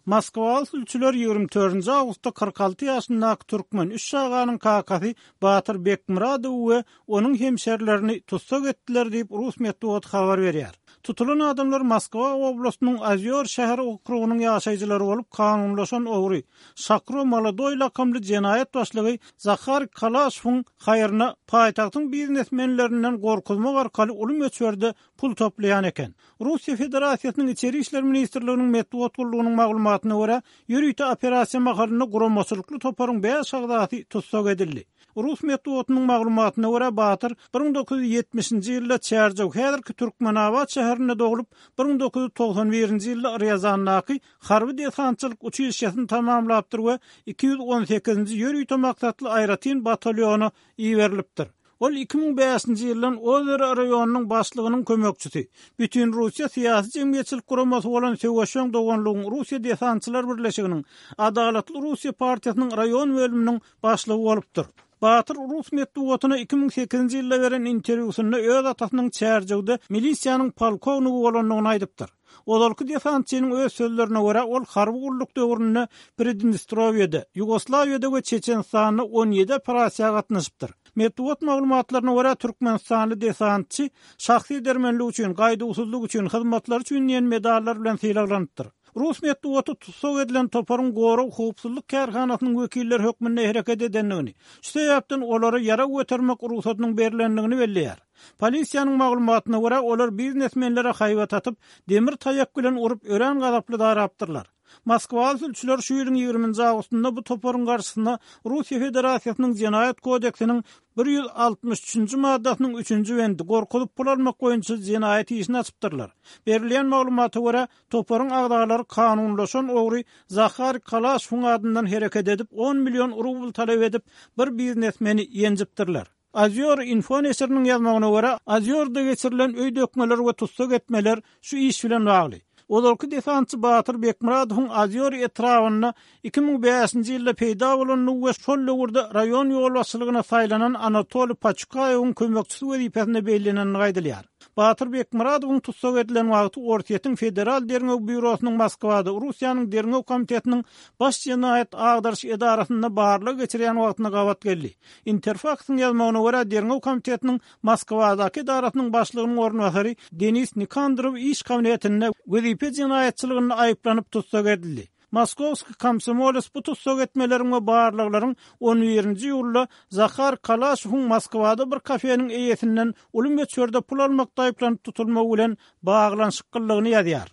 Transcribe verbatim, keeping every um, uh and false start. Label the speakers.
Speaker 1: Moskwaly sülçüler ýigrimi dördünji awgustda kyrk alty ýaşyndaky türkmen üç çaganyň kakasy Batyr Bekmyradowy we onuň hemşerilerini tussag etdiler diýip, rus metbugaty habar berýär. Tutulan adamlar Moskwa oblastynyň Ozýor şäher okrugynyň ýaşaýjylary bolup, kanunlaşan ogry, Şakro Molodoý lakamly jenaýat başlygy Zahar Kalaşowyň haýryna paýtagtyň biznesmenlerinden gorkuzmak arkaly uly möçberde pul toplaýan eken. Russiýa Federasiýasynyň Içeri işler ministrliginiň metbugat gullugynyň maglumatyna görä, ýörite operasiýa mahalynda guramaçylykly toparyň bäş agzasy tussag edildi. Rus metbugatynyň maglumatyna görä, Batyr bir müň dokuz ýüz ýetmişinji ýylda Çärjew, häzirki Türkmenabat şäherinde doglup, bir müň dokuz ýüz togsan birinji ýylda Rýazandaky harby desantçylyk uçilişşesini tamamlapdyr we iki ýüz on sekizinji ýörite maksatly aýratyn batalýona iberilipdir. Ol iki müň bäşinji ýyldan Ozero raýonynyň başlygynyň kömekçisi, Bütinrussiýa syýasy-jemgyýetçilik guramasy bolan Söweşjeň doganlygyň Russiýa desantçylar birleşiginiň Adalatly Russiýa partiýasynyň raýon bölüminiň başlygy bolupdyr. Batyr rus metbugatyna iki müň sekizinji ýylda beren interwýusynda öz atasynyň Çärjewde milisiýanyň polkownigi bolandygyny aýdypdyr. Ozalky desantçynyň öz sözlerine görä, ol harby gulluk döwründe Pridnestrowiýada, Ýugoslawiýada we Çeçenistanda on ýedi operasiýa gatnaşypdyr. Metbugat maglumatlaryna görä, türkmenistanly desantçy şahsy edermenlik üçin, gaýduwsyzlyk üçin, hyzmatlary üçin diýen medallar bilen sylaglanypdyr. Rus metbugaty tussag edilen toparyň gorag howpsuzlyk kärhanasynyň wekilleri hökmünde hereket edendigini, şu sebäpden olara ýarag götermek rugsadynyň berlendigini belleýär. Polisiýanyň maglumatyna görä, olar biznesmenlere haýbat atyp, demir taýak bilen urup, örän gazaply darapdyrlar. Moskwaly sülçüler şu ýylyň ýigriminji awgustynda bu toparyň garşysyna Russiýa Federasiýasynyň Jenaýat kodeksiniň bir ýüz altmyş üçünji maddasynyň üçünji bendi gorkuzyp pul almak boýunça jenaýat işini açypdyrlar. Berilýän maglumata görä, toparyň agzalary kanunlaşan ogry Zahar Kalaşowyň adyndan hereket edip, on million rubl talap edip, bir biznesmeni ýenjipdirler. Ozýor info neşiriniň ýazmagyna görä, Ozýorda geçirilen öý dökmeler we tussag etmeler şu iş bilen bagly. Ozalky desantçy Batyr Bekmyradowyň Ozýor etrabynda iki müň bäşinji ýylda peýda bolandygy we şol döwürde raýon ýolbaşçylygyna saýlanan Anatoliý Paçukaýewiň kömekçisi wezipesinde bellenendigi aýdylýar. Batyr Bekmyradowyň tussag edilen wagty Orsýetiň Federal derňew býurosynyň Moskwada Russiýanyň derňew komitetiniň baş jenaýat agdaryş edarasynda barlag geçirýän wagtyna gabat geldi. Interfaksyň ýazmagyna görä, derňew komitetiniň Moskwadaky edarasynyň başlygynyň orunbasary Denis Nikandrow iş kabinetinde wezipe jenaýatçylygynda aýyplanyp tussag edildi. Moskowski komsomoles bu tussag etmeleriň we barlaglaryň on birinji iýulda Zahar Kalaşowyň Moskwada bir kafeniň eýesinden uly möçberde pul almakda aýyplanyp tutulmagy bilen baglanyşyklydygyny ýazýar.